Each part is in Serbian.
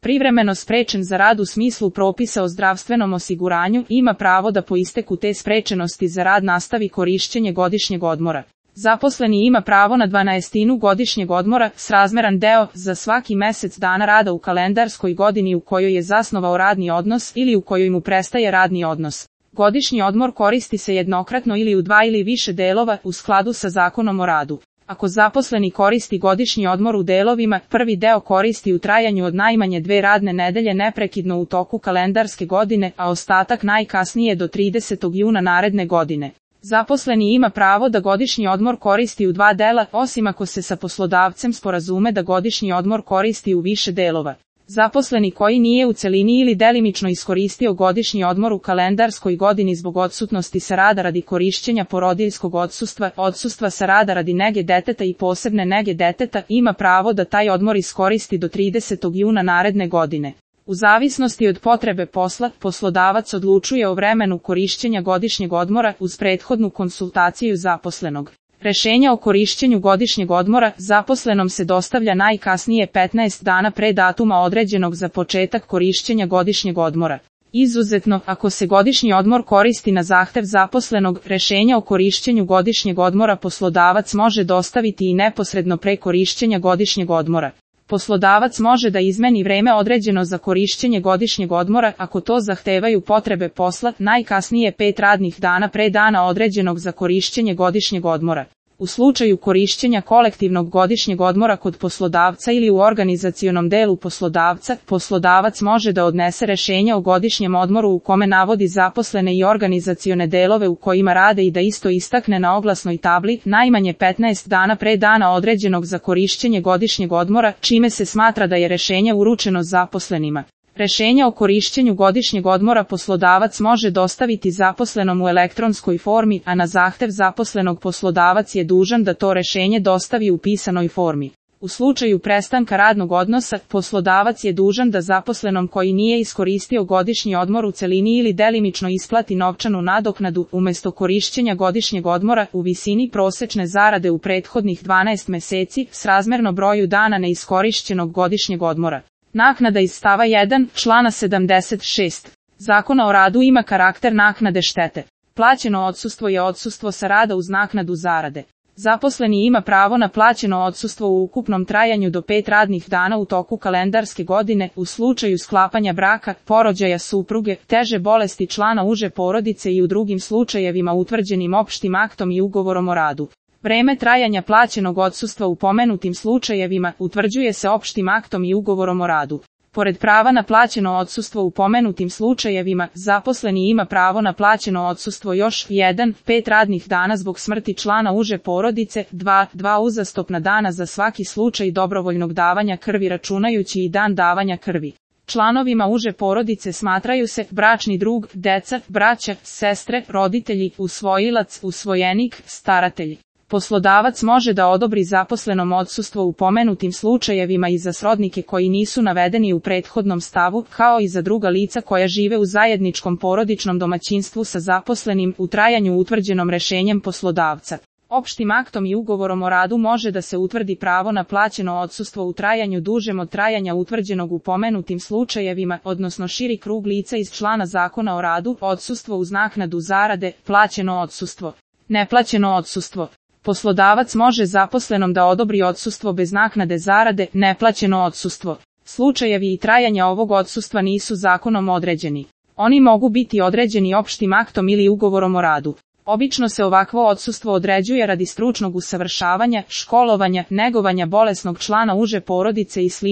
privremeno sprečen za rad u smislu propisa o zdravstvenom osiguranju ima pravo da po isteku te sprečenosti za rad nastavi korišćenje godišnjeg odmora. Zaposleni ima pravo na 12 godišnjeg odmora, srazmeran deo, za svaki mesec dana rada u kalendarskoj godini u kojoj je zasnovao radni odnos ili u kojoj mu prestaje radni odnos. Godišnji odmor koristi se jednokratno ili u 2 ili više delova u skladu sa Zakonom o radu. Ako zaposleni koristi godišnji odmor u delovima, prvi deo koristi u trajanju od najmanje 2 radne nedelje neprekidno u toku kalendarske godine, a ostatak najkasnije do 30. juna naredne godine. Zaposleni ima pravo da godišnji odmor koristi u 2 dela, osim ako se sa poslodavcem sporazume da godišnji odmor koristi u više delova. Zaposleni koji nije u celini ili delimično iskoristio godišnji odmor u kalendarskoj godini zbog odsutnosti sa rada radi korišćenja porodiljskog odsustva, odsustva sa rada radi nege deteta i posebne nege deteta, ima pravo da taj odmor iskoristi do 30. juna naredne godine. U zavisnosti od potrebe posla, poslodavac odlučuje o vremenu korišćenja godišnjeg odmora uz prethodnu konsultaciju zaposlenog. Rešenje o korišćenju godišnjeg odmora zaposlenom se dostavlja najkasnije 15 dana pre datuma određenog za početak korišćenja godišnjeg odmora. Izuzetno, ako se godišnji odmor koristi na zahtev zaposlenog, rešenje o korišćenju godišnjeg odmora poslodavac može dostaviti i neposredno pre korišćenja godišnjeg odmora. Poslodavac može da izmeni vreme određeno za korišćenje godišnjeg odmora ako to zahtevaju potrebe posla, najkasnije 5 radnih dana pre dana određenog za korišćenje godišnjeg odmora. U slučaju korišćenja kolektivnog godišnjeg odmora kod poslodavca ili u organizacionom delu poslodavca, poslodavac može da odnese rešenje o godišnjem odmoru u kome navodi zaposlene i organizacione delove u kojima rade i da isto istakne na oglasnoj tabli najmanje 15 dana pre dana određenog za korišćenje godišnjeg odmora, čime se smatra da je rešenje uručeno zaposlenima. Rešenje o korišćenju godišnjeg odmora poslodavac može dostaviti zaposlenom u elektronskoj formi, a na zahtev zaposlenog poslodavac je dužan da to rešenje dostavi u pisanoj formi. U slučaju prestanka radnog odnosa, poslodavac je dužan da zaposlenom koji nije iskoristio godišnji odmor u celini ili delimično isplati novčanu nadoknadu, umesto korišćenja godišnjeg odmora, u visini prosečne zarade u prethodnih 12 meseci, srazmerno broju dana neiskorišćenog godišnjeg odmora. Naknada iz stava 1, člana 76. Zakona o radu ima karakter naknade štete. Plaćeno odsustvo je odsustvo sa rada uz naknadu zarade. Zaposleni ima pravo na plaćeno odsustvo u ukupnom trajanju do 5 radnih dana u toku kalendarske godine, u slučaju sklapanja braka, porođaja supruge, teže bolesti člana uže porodice i u drugim slučajevima utvrđenim opštim aktom i ugovorom o radu. Vreme trajanja plaćenog odsustva u pomenutim slučajevima utvrđuje se opštim aktom i ugovorom o radu. Pored prava na plaćeno odsustvo u pomenutim slučajevima, zaposleni ima pravo na plaćeno odsustvo još 1. 5 radnih dana zbog smrti člana uže porodice, 2 uzastopna dana za svaki slučaj dobrovoljnog davanja krvi računajući i dan davanja krvi. Članovima uže porodice smatraju se bračni drug, deca, braća, sestre, roditelji, usvojilac, usvojenik, staratelj. Poslodavac može da odobri zaposlenom odsustvo u pomenutim slučajevima i za srodnike koji nisu navedeni u prethodnom stavu, kao i za druga lica koja žive u zajedničkom porodičnom domaćinstvu sa zaposlenim u trajanju utvrđenom rešenjem poslodavca. Opštim aktom i ugovorom o radu može da se utvrdi pravo na plaćeno odsustvo u trajanju dužem od trajanja utvrđenog u pomenutim slučajevima, odnosno širi krug lica iz člana Zakona o radu, odsustvo uz naknadu zarade, plaćeno odsustvo, neplaćeno odsustvo. Poslodavac može zaposlenom da odobri odsustvo bez naknade zarade, neplaćeno odsustvo. Slučajevi i trajanja ovog odsustva nisu zakonom određeni. Oni mogu biti određeni opštim aktom ili ugovorom o radu. Obično se ovakvo odsustvo određuje radi stručnog usavršavanja, školovanja, negovanja bolesnog člana uže porodice i sl.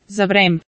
Za vreme